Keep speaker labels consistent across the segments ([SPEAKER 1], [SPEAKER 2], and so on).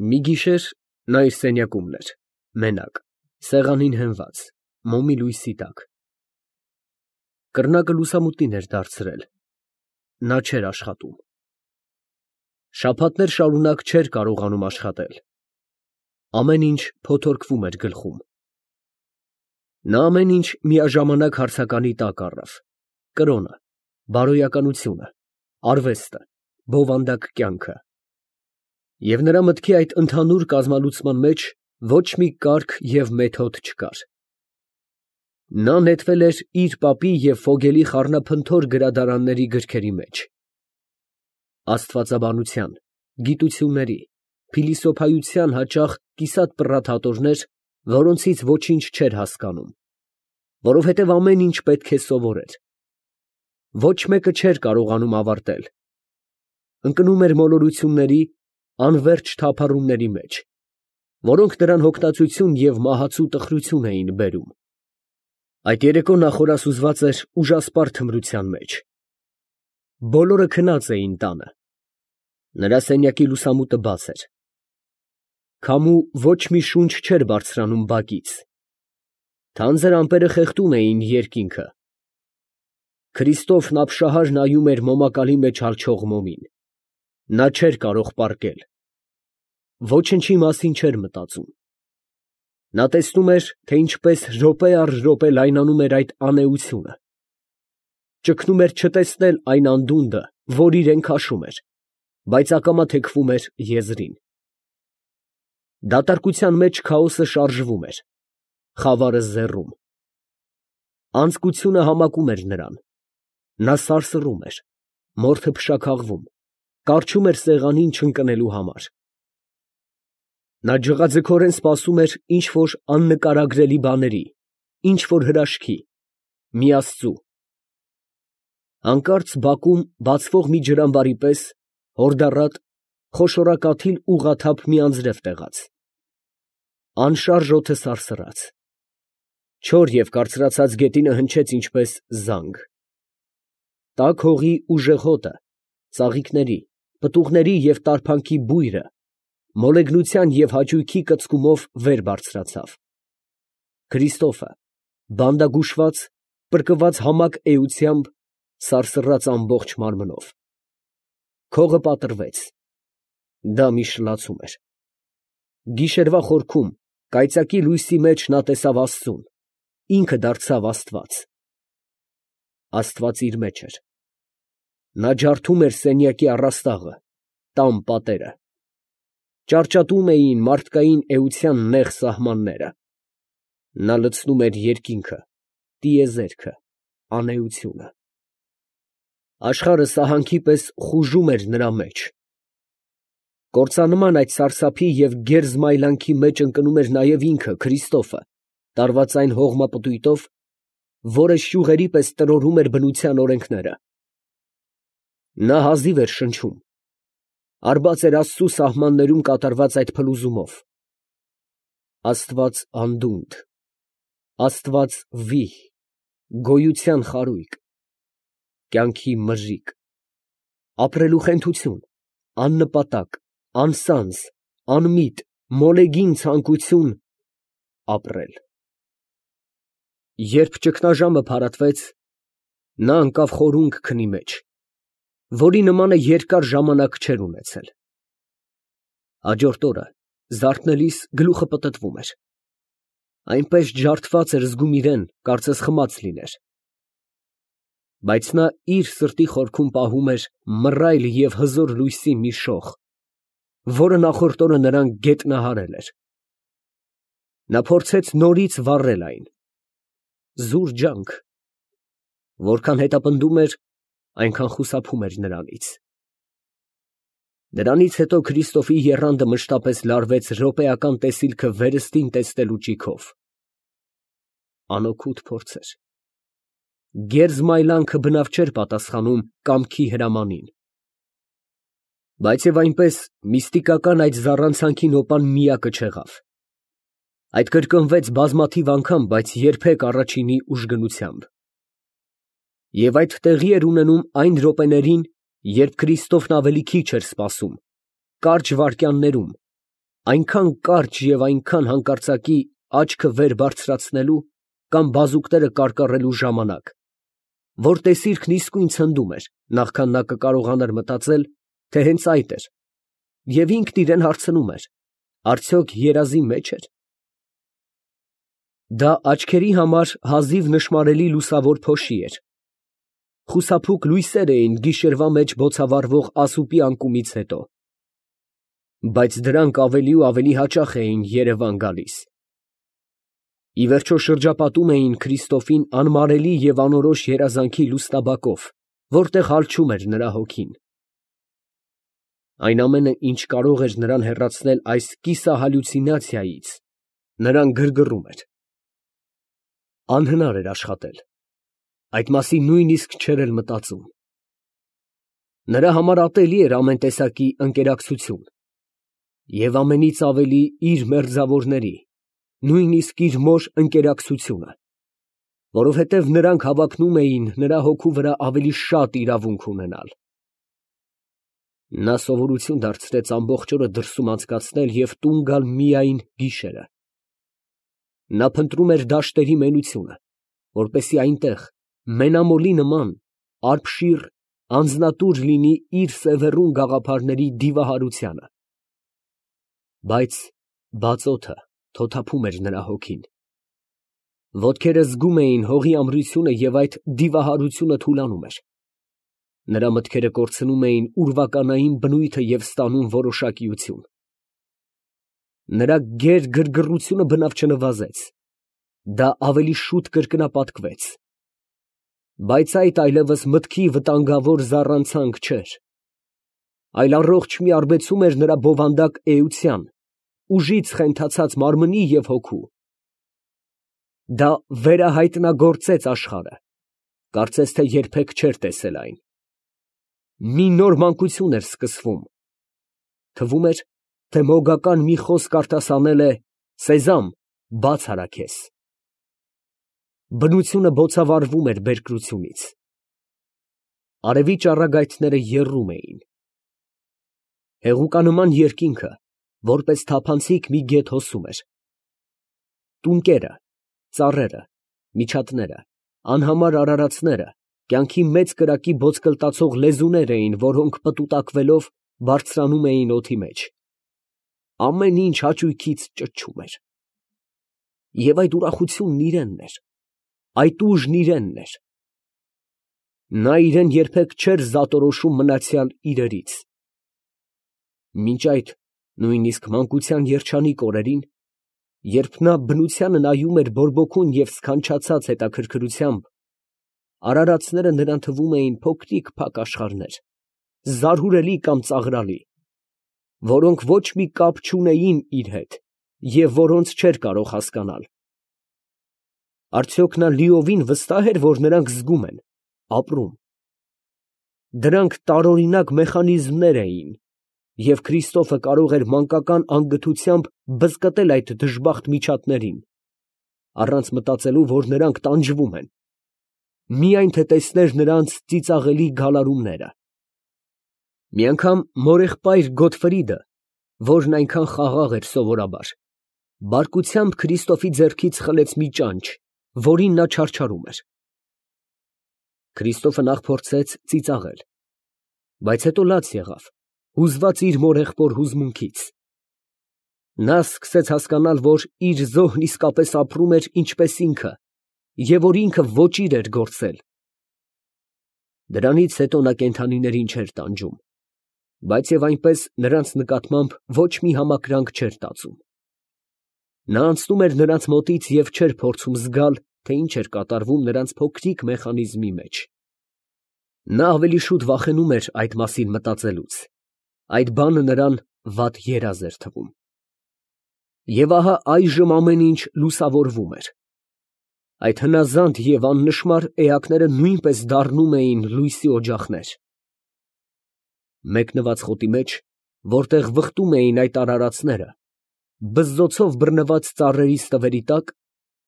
[SPEAKER 1] Մի գիշեր նա իր սենյակումն էր, մենակ, սեղանին հենված, մոմի լույսի տակ։ Կռնակը լուսամուտին էր դարձրել, նա չէր աշխատում։ Շաբաթներ շարունակ չէր կարողանում աշխատել, ամեն ինչ փոթորկվում էր գլխում։ Նա ամեն ինչ միաժամանակ հարցականի տակ առավ. կրոնը, բարոյականությունը, արվեստը, բովանդակ կյանքը։ Եվ նրա մտքի այդ ընդհանուր կազմալուծման մեջ ոչ մի կարգ և մեթոդ չկար։ Նա նետվել էր իր պապի և Ֆոգելի խառնափնթոր գրադարանների գրքերի մեջ, աստվածաբանության, գիտությունների, փիլիսոփայության հաճախ կիսատ պռատ հատորներ, որոնցից ոչինչ չէր հասկանում, որովհետև ամեն ինչ պետք է սովորեր։ Ոչ մեկը չէր կարողանում ավարտել։ Ընկնում էր մոլորությունների, անվերջ թափառումների մեջ, որոնք նրան հոգնածություն և մահացու տխրություն էին բերում։ Այդ երեկո նա խորասուզված էր ուժասպառ թմրության մեջ։ Բոլորը քնած էին տանը։ Նրա սենյակի լուսամուտը բաց էր։ Քամու ոչ մի շունչ չէր բարձրանում բակից։ Թանձր ամպերը խեղդում էին երկինքը։ Քրիստոֆն ապշահար նայում էր մոմակալի մեջ հալչող մոմին։ Նա չէր կարող պառկել։ Ոչնչի մասին չէր մտածում։ Նա տեսնում էր, թե ինչպես րոպե առ րոպե լայնանում էր այդ անէությունը։ Ճգնում էր չտեսնել այն անդունդը, որ իրեն քաշում էր, բայց ակամա թեքվում էր եզրին։ Դատարկության մեջ քաոսը շարժվում էր, խավարը զեռում։ Անձկությունը համակում էր նրան։ Նա սարսռում էր, մորթը փշաքաղվում, կառչում էր սեղանին չընկնելու համար։ Նա ջղաձգորեն սպասում էր ինչ֊որ աննկարագրելի բաների, ինչ֊որ հրաշքի, մի աստծու։ Հանկարծ բակում բացվող մի ջրամբարի պես հորդառատ, խոշորակաթիլ ուղղաթափ մի անձրև տեղաց։ Անշարժ օդը սարսռաց։ Չոր և կարծրացած գետինը հնչեց ինչպես զանգ։ Տաք հողի ուժեղ հոտը, ծաղիկների, պտուղների և տարփանքի բույրը մոլեգնության և հաճույքի կծկումով վեր բարձրացավ։ Քրիստոֆը, բանդագուշված, պրկված համակ էությամբ, սարսռաց ամբողջ մարմնով։ Քողը պատռվեց։ Դա մի շլացում էր։ Գիշերվա խորքում, կայծակի լույսի մեջ նա տեսավ աստծուն, ինքը դարձավ աստված։ Աստված իր մեջ էր։ Նա ջարդում էր սենյակի առաստաղը, տան պատերը։ Ճարճատում էին մարդկային էության նեղ սահմանները։ Նա լցնում էր երկինքը, տիեզերքը, անէությունը։ Աշխարհը սահանքի պես խուժում էր նրա մեջ։ Կործանման այդ սարսափի և գերզմայլանքի մեջ ընկնում էր նաև ինքը, Քրիստոֆը, տարված այն հողմապտույտով, որը շյուղերի պես տրորում էր բնության օրենքները։ Նա հազիվ էր շնչում, արբած էր Աստծու սահմաններում կատարված այդ փլուզումով։ Աստված անդունդ, Աստված վիհ, գոյության խարույկ, կյանքի մրրիկ, ապրելու խենթություն, աննպատակ, անսանձ, անմիտ, մոլեգին ցանկություն ապրել։ Երբ ճգնաժամը փարատվեց, նա ընկավ խորունգ քնի մեջ, որի նմանը երկար ժամանակ չէր ունեցել։ Հաջորդ օրը զարթնելիս գլուխը պտտվում էր։ Այնպես ջարդված էր զգում իրեն, կարծես խմած լիներ։ Բայց նա իր սրտի խորքում պահում էր մռայլ և հզոր լույսի մի շող, որը նախորդ օրը նրան գետնահարել էր։ Նա փորձեց նորից վառել այն։ Զուր ջանք։ Որքան հետապնդում էր, այնքան խուսափում էր նրանից։ Դրանից հետո Քրիստոֆի եռանդը մշտապես լարվեց րոպեական տեսիլքը վերստին տեսնելու ճիգով։ Անօգուտ փորձ էր։ Գերզմայլանքը բնավ չէր պատասխանում կամքի հրամանին։ Բայց և այնպես միստիկական այդ զառանցանքի նոպան միակը չեղավ։ Այդ կրկնվեց բազմաթիվ անգամ, բայց երբեք առաջինի ուժգնությամբ։ Եվ այդ տեղի էր ունենում այն րոպեներին, երբ Քրիստոֆն ավելի քիչ էր սպասում, կարճ վայրկյաններում, այնքան կարճ եւ այնքան հանկարծակի աչքը վեր բարձրացնելու կամ բազուկները կարկառելու ժամանակ, որ տեսիրքն իսկույն ցնդում էր, նախքան նա կկարողանար մտածել, թե հենց այդ էր, եւ ինքն իրեն հարցնում էր. արդյոք երազի մեջ էր։ Դա աչքերի համար հազիվ նշմարելի լուսավոր փոշի էր։ Խուսափուկ լույսեր էին գիշերվա մեջ բոցավառվող ասուպի անկումից հետո, բայց դրանք ավելի ու ավելի հաճախ էին երևան գալիս։ Ի վերջո շրջապատում էին Քրիստոֆին անմարելի և անորոշ երազանքի լուսնաբակով, որտեղ հալչում էր նրա հոգին։ Այն ամենը, ինչ կարող էր նրան հեռացնել այս կիսահալյուցինացիայից, նրան գրգռում էր։ Անհնար էր աշխատել, այդ մասին նույնիսկ չէր էլ մտածում։ Նրա համար ատելի էր ամեն տեսակի ընկերակցություն և ամենից ավելի իր մերձավորների, նույնիսկ իր մոր ընկերակցությունը, որովհետև նրանք հավակնում էին նրա հոգու վրա ավելի շատ իրավունք ունենալ։ Նա սովորություն դարձրեց ամբողջ օրը դրսում անցկացնել և տուն գալ միայն գիշերը։ Նա փնտրում էր դաշտերի մենությունը, որպեսզի այնտեղ, մենամոլի նման, արբշիր, անձնատուր լինի իր սևեռուն գաղափարների դիվահարությանը։ Բայց բաց օդը թոթափում էր նրա հոգին։ Ոտքերը զգում էին հողի ամրությունը և այդ դիվահարությունը թուլանում էր։ Նրա մտքերը կորցնում էին ուրվականային բնույթը և ստանում որոշակիություն։ Նրա գեր գրգռությունը բնավ չնվազեց, դա ավելի շուտ կրկնապատկվեց։ Բայց այդ այլևս մտքի վտանգավոր զառանցանք չէր, այլ առողջ մի արբեցում էր նրա բովանդակ էության, ուժից խենթացած մարմնի և հոգու։ Դա վերահայտնագործեց աշխարհը, կարծես թե երբեք չէր տեսել այն։ Մի նոր մանկություն էր սկսվում։ Թվում էր, թե մոգական մի խոսք արտասանել է. «Սեզամ, բաց արա քեզ»։ Բնությունը բոցավառվում էր բերկրությունից։ Արևի ճառագայթները եռում էին։ Հեղուկանման երկինքը, որպես թափանցիկ մի գետ հոսում էր։ Տունկերը, ծառերը, միջատները, անհամար արարածները կյանքի մեծ կրակի ոտկլտացող լեզուներ էին, որոնք պտուտակվելով բարձրանում էին օդի մեջ։ Ամեն ինչ հաճույքից ճչում էր։ Եվ այդ ուրախությունն իրենն էր, այդ ուժն իրենն էր։ Նա իրեն երբեք չէր զատորոշում մնացյալ իրերից։ Մինչ այդ, նույնիսկ մանկության երջանիկ օրերին, երբ նա բնությանը նայում էր բորբոքուն և սքանչացած հետաքրքրությամբ, արարածները նրան թվում էին փոքրիկ փակ աշխարհներ, զարհուրելի կամ ծաղրալի, որոնք ոչ մի կապ չունեին իր հետ և որոնց չէր կարող հասկանալ։ Արդյոք նա լիովին վստահ էր, որ նրանք զգում են, ապրում։ Դրանք տարօրինակ մեխանիզմներ էին, և Քրիստոֆը կարող էր մանկական անգթությամբ բզկտել այդ դժբախտ միջատներին, առանց մտածելու, որ նրանք տանջվում են, միայն թե տեսներ նրանց ծիծաղելի գալարումները։ Մի անգամ մորեղբայր Գոտֆրիդը, որն այնքան խաղաղ էր սովորաբար, բարկությամբ Քրիստոֆի ձեռքից խլեց մի ճանճ, որին նա չարչարում էր։ Քրիստոֆը նախ փորձեց ծիծաղել, բայց հետո լաց եղավ, հուզված իր մորեղբոր հուզմունքից։ Նա սկսեց հասկանալ, որ իր զոհն իսկապես ապրում էր ինչպես ինքը, և որ ինքը ոճիր էր գործել։ Դրանից հետո նա կենդանիներին չէր տանջում, բայց և այնպես նրանց նկատմամբ ոչ մի համակրանք չէր տածում։ Նա անցնում էր նրանց մոտից և չէր փորձում զգալ, թե ինչ էր կատարվում նրանց փոքրիկ մեխանիզմի մեջ։ Նա ավելի շուտ վախենում էր այդ մասին մտածելուց, այդ բանը նրան վատ երազ էր թվում։ Եվ ահա այժմ ամեն ինչ լուսավորվում էր։ Այդ հնազանդ և աննշմար էակները նույնպես դառնում էին լույսի օջախներ։ Մեկնված խոտի մեջ, որտեղ վխտում էին այդ արարածները, բզզոցով բռնված ծառերի ստվերի տակ,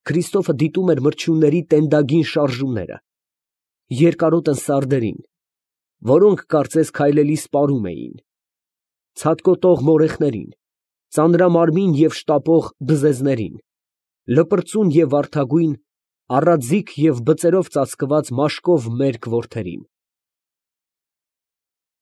[SPEAKER 1] Քրիստոֆը դիտում էր մրջյունների տենդագին շարժումները, երկարոտն սարդերին, որոնք կարծես քայլելի սպառում էին, ցատկոտող մորեխներին, ծանրամարմին և շտապող բզեզներին, լպրծուն և վարդագույն, առաձիգ և բծերով ծածկված մաշկով մերկ որդերին։